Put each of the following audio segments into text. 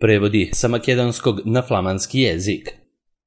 Prevodi sa makedonskog na flamanski jezik.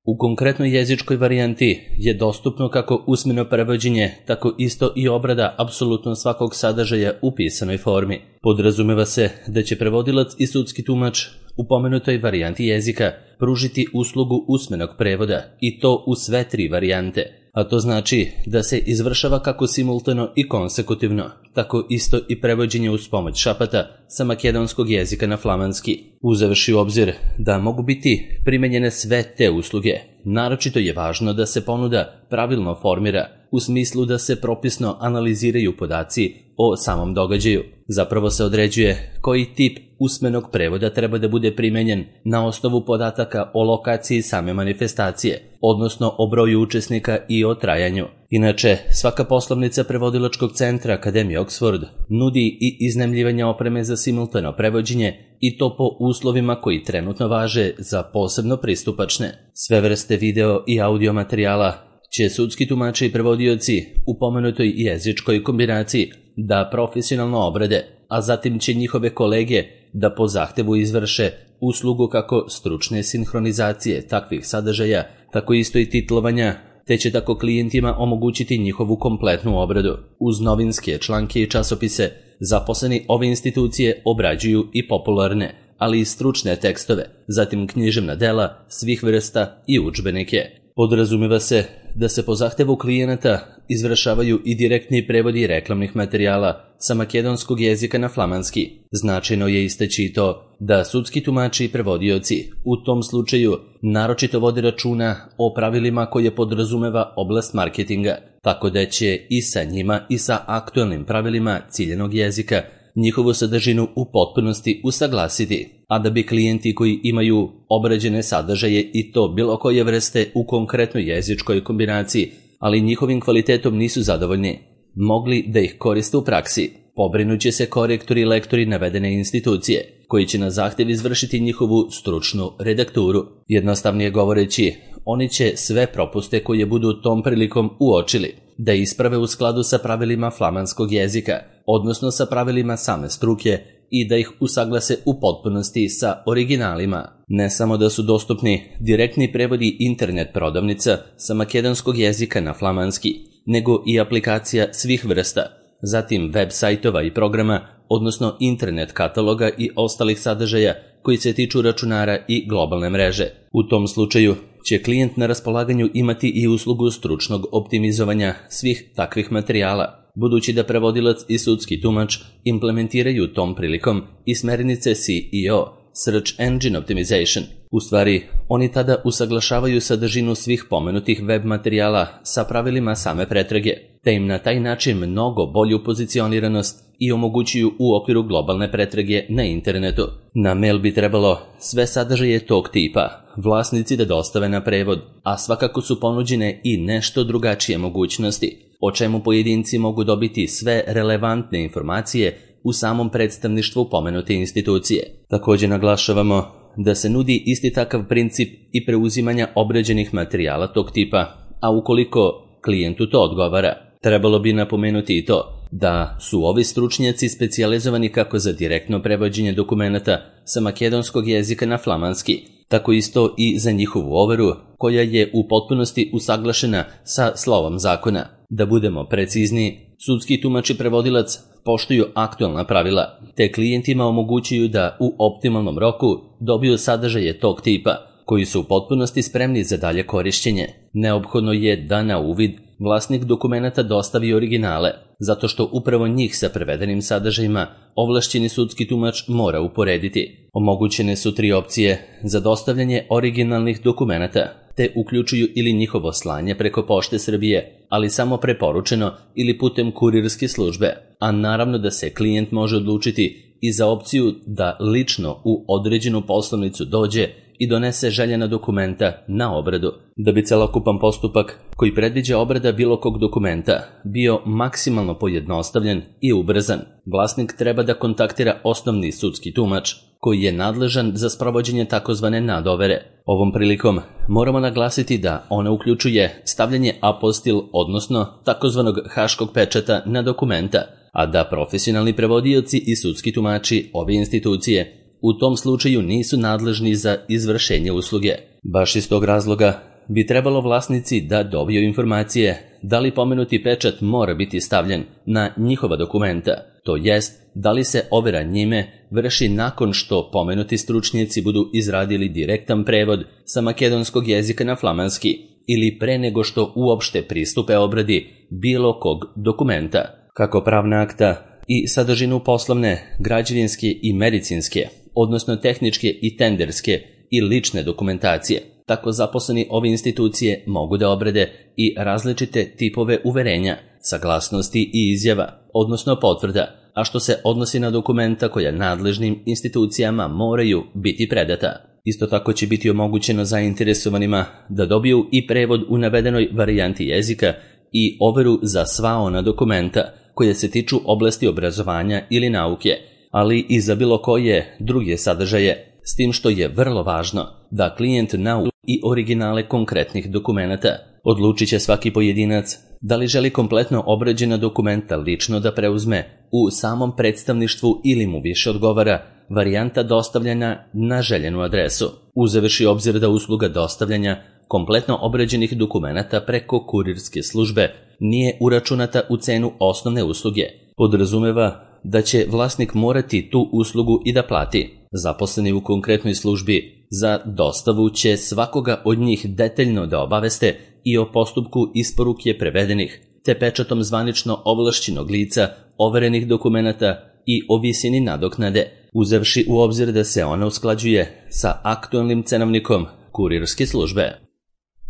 U konkretnoj jezičkoj varijanti je dostupno kako usmeno prevođenje, tako isto i obrada apsolutno svakog sadržaja u pisanoj formi. Podrazumeva se da će prevodilac i sudski tumač u pomenutoj varijanti jezika pružiti uslugu usmenog prevoda i to u sve tri varijante, a to znači da se izvršava kako simultano i konsekutivno, tako isto i prevođenje uz pomoć šapata sa makedonskog jezika na flamanski. Uzevši u obzir da mogu biti primenjene sve te usluge, naročito je važno da se ponuda pravilno formira u smislu da se propisno analiziraju podaci o samom događaju. Zapravo se određuje koji tip usmenog prevoda treba da bude primenjen na osnovu podataka o lokaciji same manifestacije, odnosno o broju učesnika i o trajanju. Inače, svaka poslovnica prevodilačkog centra Akademije Oxford nudi i iznajmljivanje opreme za simultano prevođenje i to po uslovima koji trenutno važe za posebno pristupačne. Sve vrste video i audio materijala će sudski tumači i prevodioci u pomenutoj jezičkoj kombinaciji da profesionalno obrade, a zatim će njihove kolege da po zahtevu izvrše uslugu kako stručne sinhronizacije takvih sadržaja, tako isto i titlovanja, te će tako klijentima omogućiti njihovu kompletnu obradu. Uz novinske članke i časopise, zaposleni ove institucije obrađuju i popularne, ali i stručne tekstove, zatim književna dela svih vrsta i udžbenike. Podrazumeva se da se po zahtevu klijenata izvršavaju i direktni prevodi reklamnih materijala sa makedonskog jezika na flamanski. Značajno je istaći i to da sudski tumači i prevodioci u tom slučaju naročito vode računa o pravilima koje podrazumeva oblast marketinga, tako da će i sa njima i sa aktualnim pravilima ciljenog jezika njihovu sadržinu u potpunosti usaglasiti, a da bi klijenti koji imaju obrađene sadržaje i to bilo koje vrste u konkretnoj jezičkoj kombinaciji, ali njihovim kvalitetom nisu zadovoljni, mogli da ih koriste u praksi. Pobrinuće se korektori i lektori navedene institucije, koji će na zahtev izvršiti njihovu stručnu redakturu. Jednostavnije govoreći, oni će sve propuste koje budu tom prilikom uočili da isprave u skladu sa pravilima flamanskog jezika, odnosno sa pravilima same struke i da ih usaglase u potpunosti sa originalima. Ne samo da su dostupni direktni prevodi internet prodavnica sa makedonskog jezika na flamanski, nego i aplikacija svih vrsta, zatim web sajtova i programa, odnosno internet kataloga i ostalih sadržaja koji se tiču računara i globalne mreže. U tom slučaju će klijent na raspolaganju imati i uslugu stručnog optimizovanja svih takvih materijala, budući da prevodilac i sudski tumač implementiraju tom prilikom i smernice SEO, Search Engine Optimization. U stvari, oni tada usaglašavaju sadržinu svih pomenutih web materijala sa pravilima same pretrage, te im na taj način mnogo bolju pozicioniranost i omogućuju u okviru globalne pretrage na internetu. Na mail bi trebalo sve sadržaje tog tipa vlasnici da dostave na prevod, a svakako su ponuđene i nešto drugačije mogućnosti, o čemu pojedinci mogu dobiti sve relevantne informacije u samom predstavništvu pomenute institucije. Također naglašavamo da se nudi isti takav princip i preuzimanja obrađenih materijala tog tipa, a ukoliko klijentu to odgovara, trebalo bi napomenuti i to da su ovi stručnjaci specijalizovani kako za direktno prevođenje dokumenata sa makedonskog jezika na flamanski, tako isto i za njihovu overu koja je u potpunosti usaglašena sa slovom zakona. Da budemo precizni, sudski tumač i prevodilac poštuju aktualna pravila, te klijentima omogućuju da u optimalnom roku dobiju sadržaje tog tipa, koji su u potpunosti spremni za dalje korišćenje. Neophodno je da na uvid vlasnik dokumenata dostavi originale, zato što upravo njih sa prevedenim sadržajima ovlašćeni sudski tumač mora uporediti. Omogućene su 3 opcije za dostavljanje originalnih dokumenata, te uključuju ili njihovo slanje preko Pošte Srbije, ali samo preporučeno ili putem kurirske službe, a naravno da se klijent može odlučiti i za opciju da lično u određenu poslovnicu dođe i donese željena dokumenta na obradu. Da bi celokupan postupak koji predviđa obrada bilo kog dokumenta bio maksimalno pojednostavljen i ubrzan, vlasnik treba da kontaktira osnovni sudski tumač koji je nadležan za sprovođenje takozvane nadovere. Ovom prilikom moramo naglasiti da ona uključuje stavljanje apostil, odnosno takozvanog haškog pečata na dokumenta, a da profesionalni prevodioci i sudski tumači ove institucije u tom slučaju nisu nadležni za izvršenje usluge. Baš iz tog razloga bi trebalo vlasnici da dobiju informacije da li pomenuti pečat mora biti stavljen na njihova dokumenta, to jest da li se overa njime vrši nakon što pomenuti stručnjaci budu izradili direktan prevod sa makedonskog jezika na flamanski ili pre nego što uopšte pristupe obradi bilo kog dokumenta, kako pravna akta i sadržinu poslovne, građevinske i medicinske, odnosno tehničke i tenderske i lične dokumentacije. Tako zaposleni ove institucije mogu da obrade i različite tipove uverenja, saglasnosti i izjava, odnosno potvrda, a što se odnosi na dokumenta koja nadležnim institucijama moraju biti predata. Isto tako će biti omogućeno zainteresovanima da dobiju i prevod u navedenoj varijanti jezika i overu za sva ona dokumenta koje se tiču oblasti obrazovanja ili nauke, ali i za bilo koje druge sadržaje, s tim što je vrlo važno da klijent nauči i originale konkretnih dokumenata. Odlučit će svaki pojedinac da li želi kompletno obrađena dokumenta lično da preuzme u samom predstavništvu ili mu više odgovara varijanta dostavljanja na željenu adresu. Uzevši obzir da usluga dostavljanja kompletno obrađenih dokumenata preko kurirske službe nije uračunata u cenu osnovne usluge, podrazumeva da će vlasnik morati tu uslugu i da plati. Zaposleni u konkretnoj službi za dostavu će svakoga od njih detaljno da obaveste i o postupku isporuke prevedenih, te pečatom zvanično ovlašćenog lica overenih dokumenata i o visini nadoknade, uzevši u obzir da se ona usklađuje sa aktualnim cenovnikom kurirske službe.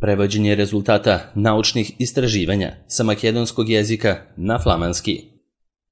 Prevođenje rezultata naučnih istraživanja sa makedonskog jezika na flamanski.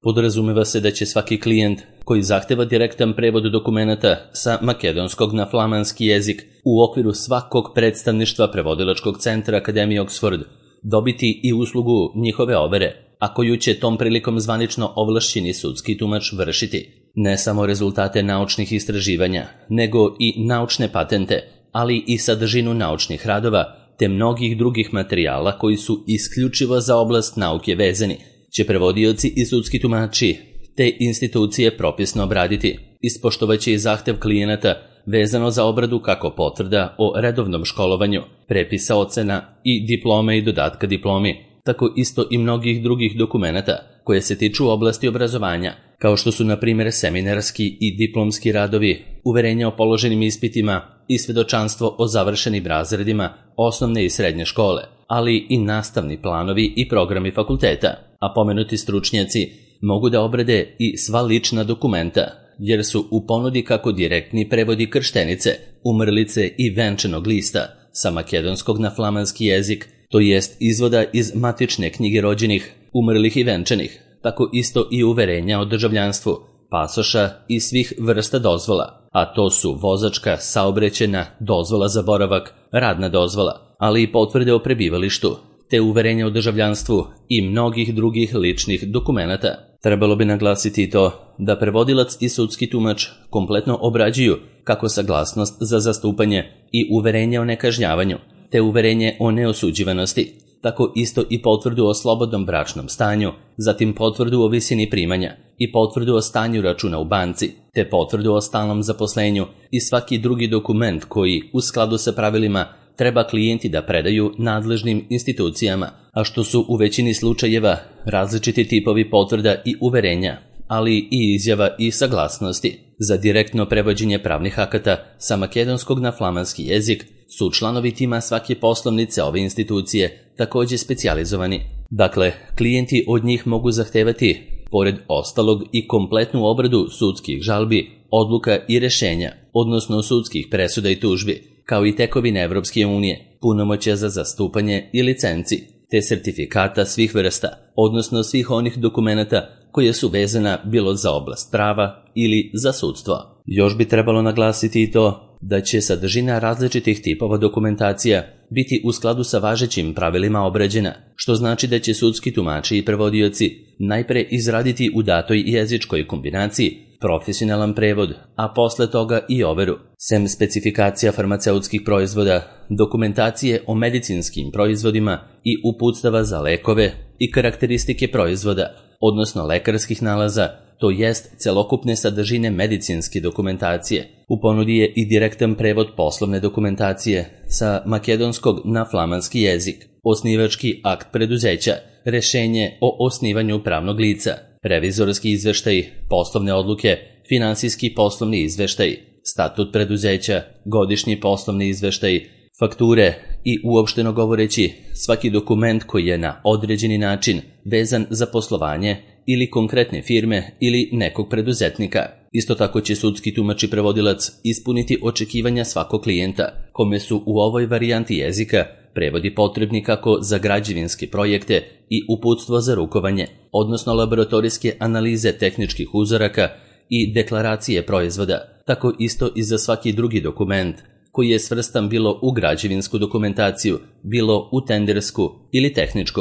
Podrazumeva se da će svaki klijent koji zahteva direktan prevod dokumenata sa makedonskog na flamanski jezik u okviru svakog predstavništva prevodilačkog centra Akademije Oxford dobiti i uslugu njihove overe, a koju će tom prilikom zvanično ovlašćeni sudski tumač vršiti. Ne samo rezultate naučnih istraživanja, nego i naučne patente, ali i sadržinu naučnih radova, te mnogih drugih materijala koji su isključivo za oblast nauke vezani, će prevodioci i sudski tumači te institucije propisno obraditi. Ispoštovaće i zahtev klijenata vezano za obradu kako potvrda o redovnom školovanju, prepisa ocena i diplome i dodatka diplomi, tako isto i mnogih drugih dokumenata koje se tiču oblasti obrazovanja, kao što su na primjer seminarski i diplomski radovi, uverenja o položenim ispitima i svedočanstvo o završenim razredima osnovne i srednje škole, ali i nastavni planovi i programi fakulteta, a pomenuti stručnjaci mogu da obrade i sva lična dokumenta, jer su u ponudi kako direktni prevodi krštenice, umrlice i venčanog lista sa makedonskog na flamanski jezik, to jest izvoda iz matične knjige rođenih, umrlih i venčanih, tako isto i uverenja o državljanstvu, pasoša i svih vrsta dozvola, a to su vozačka, saobraćajna, dozvola za boravak, radna dozvola, ali i potvrde o prebivalištu, te uverenja o državljanstvu i mnogih drugih ličnih dokumenata. Trebalo bi naglasiti i to da prevodilac i sudski tumač kompletno obrađuju kako saglasnost za zastupanje i uverenje o nekažnjavanju, te uverenje o neosuđivanosti, tako isto i potvrdu o slobodnom bračnom stanju, zatim potvrdu o visini primanja i potvrdu o stanju računa u banci, te potvrdu o stalnom zaposlenju i svaki drugi dokument koji, u skladu sa pravilima, treba klijenti da predaju nadležnim institucijama, a što su u većini slučajeva različiti tipovi potvrda i uverenja, ali i izjava i saglasnosti. Za direktno prevođenje pravnih akata sa makedonskog na flamanski jezik su članovi tima svake poslovnice ove institucije također specijalizovani. Dakle, klijenti od njih mogu zahtevati, pored ostalog, i kompletnu obradu sudskih žalbi, odluka i rešenja, odnosno sudskih presuda i tužbi, kao i tekovine Evropske unije, punomoćja za zastupanje i licenci, te sertifikata svih vrsta, odnosno svih onih dokumenata koje su vezana bilo za oblast prava ili za sudstvo. Još bi trebalo naglasiti i to da će sadržina različitih tipova dokumentacija biti u skladu sa važećim pravilima obrađena, što znači da će sudski tumači i prevodioci najpre izraditi u datoj jezičkoj kombinaciji profesionalan prevod, a posle toga i overu. Sem specifikacija farmaceutskih proizvoda, dokumentacije o medicinskim proizvodima i uputstava za lekove i karakteristike proizvoda, odnosno lekarskih nalaza, to jest celokupne sadržine medicinske dokumentacije. U ponudi je i direktan prevod poslovne dokumentacije sa makedonskog na flamanski jezik, osnivački akt preduzeća, rešenje o osnivanju pravnog lica, revizorski izveštaj, poslovne odluke, finansijski poslovni izveštaj, statut preduzeća, godišnji poslovni izveštaj, fakture i uopšteno govoreći svaki dokument koji je na određeni način vezan za poslovanje ili konkretne firme ili nekog preduzetnika. Isto tako će sudski tumač i prevodilac ispuniti očekivanja svakog klijenta, kome su u ovoj varijanti jezika prevodi potrebni kako za građevinske projekte i uputstvo za rukovanje, odnosno laboratorijske analize tehničkih uzoraka i deklaracije proizvoda, tako isto i za svaki drugi dokument koji je svrstan bilo u građevinsku dokumentaciju, bilo u tendersku ili tehničku.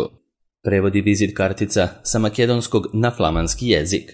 Prevodi vizit kartica sa makedonskog na flamanski jezik.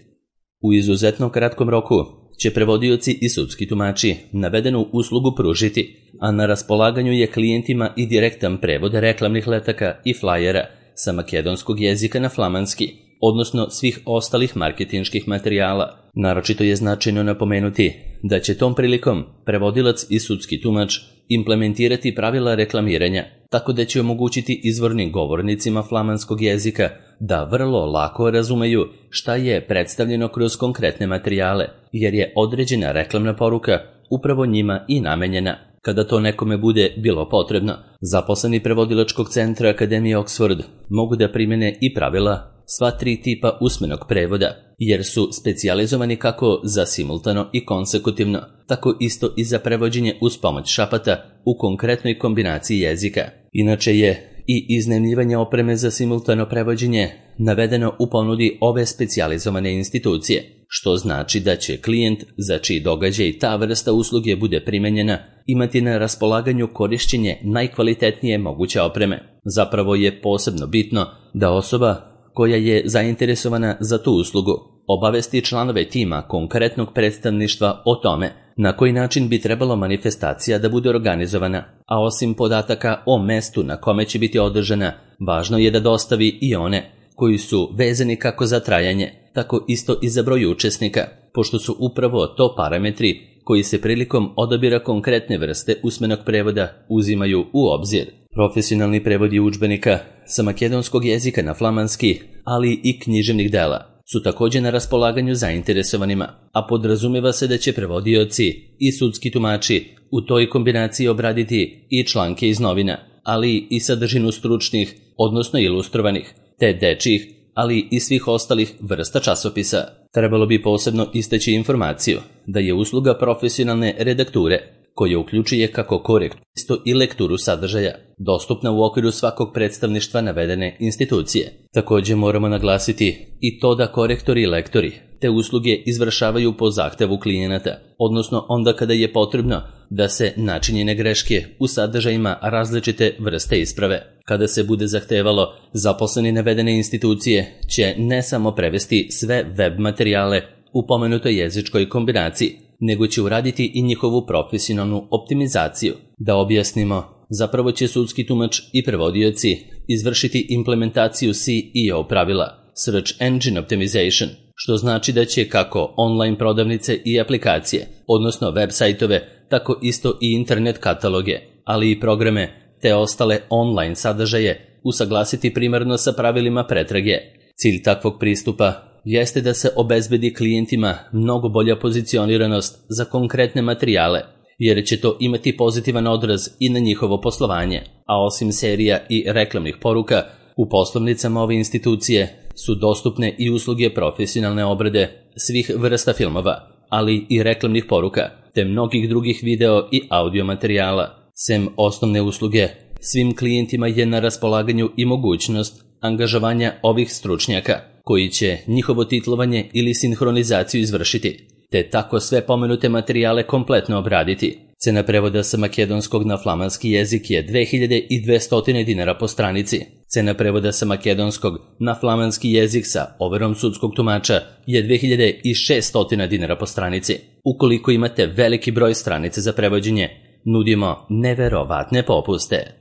U izuzetno kratkom roku će prevodioci i sudski tumači navedenu uslugu pružiti, a na raspolaganju je klijentima i direktan prevod reklamnih letaka i flajera sa makedonskog jezika na flamanski, odnosno svih ostalih marketinških materijala. Naročito je značajno napomenuti da će tom prilikom prevodilac i sudski tumač implementirati pravila reklamiranja, tako da će omogućiti izvornim govornicima flamanskog jezika da vrlo lako razumeju šta je predstavljeno kroz konkretne materijale, jer je određena reklamna poruka upravo njima i namenjena. Kada to nekome bude bilo potrebno, zaposleni prevodilačkog centra Akademije Oxford mogu da primene i pravila sva 3 tipa usmenog prevoda, jer su specijalizovani kako za simultano i konsekutivno, tako isto i za prevođenje uz pomoć šapata u konkretnoj kombinaciji jezika. Inače je i iznajmljivanje opreme za simultano prevođenje navedeno u ponudi ove specijalizovane institucije, što znači da će klijent za čiji događaj ta vrsta usluge bude primenjena imati na raspolaganju korišćenje najkvalitetnije moguće opreme. Zapravo je posebno bitno da osoba koja je zainteresovana za tu uslugu obavesti članove tima konkretnog predstavništva o tome na koji način bi trebalo manifestacija da bude organizovana, a osim podataka o mestu na kome će biti održana, važno je da dostavi i one koji su vezani kako za trajanje, tako isto i za broj učesnika, pošto su upravo to parametri koji se prilikom odabira konkretne vrste usmenog prevoda uzimaju u obzir. Profesionalni prevodi udžbenika sa makedonskog jezika na flamanski, ali i književnih dela, su također na raspolaganju zainteresovanima, a podrazumeva se da će prevodioci i sudski tumači u toj kombinaciji obraditi i članke iz novina, ali i sadržinu stručnih, odnosno ilustrovanih, te dečjih, ali i svih ostalih vrsta časopisa. Trebalo bi posebno istaći informaciju da je usluga profesionalne redakture, koja uključuje kako korektu i lekturu sadržaja, dostupna u okviru svakog predstavništva navedene institucije. Također moramo naglasiti i to da korektori i lektori te usluge izvršavaju po zahtevu klijenata, odnosno onda kada je potrebno da se načinjene greške u sadržajima različite vrste isprave. Kada se bude zahtevalo, zaposleni navedene institucije će ne samo prevesti sve web materijale u pomenutoj jezičkoj kombinaciji, nego će uraditi i njihovu profesionalnu optimizaciju. Da objasnimo, zapravo će sudski tumač i prevodioci izvršiti implementaciju SEO pravila, Search Engine Optimization, što znači da će kako online prodavnice i aplikacije, odnosno web sajtove, tako isto i internet kataloge, ali i programe te ostale online sadržaje usaglasiti primarno sa pravilima pretrage. Cilj takvog pristupa jeste da se obezbedi klijentima mnogo bolja pozicioniranost za konkretne materijale, jer će to imati pozitivan odraz i na njihovo poslovanje, a osim serija i reklamnih poruka, u poslovnicama ove institucije su dostupne i usluge profesionalne obrade svih vrsta filmova, ali i reklamnih poruka, te mnogih drugih video i audio materijala. Sem osnovne usluge, svim klijentima je na raspolaganju i mogućnost angažovanja ovih stručnjaka, koji će njihovo titlovanje ili sinhronizaciju izvršiti, te tako sve pomenute materijale kompletno obraditi. Cena prevoda sa makedonskog na flamanski jezik je 2200 dinara po stranici. Cena prevoda sa makedonskog na flamanski jezik sa overom sudskog tumača je 2600 dinara po stranici. Ukoliko imate veliki broj stranice za prevođenje, nudimo neverovatne popuste.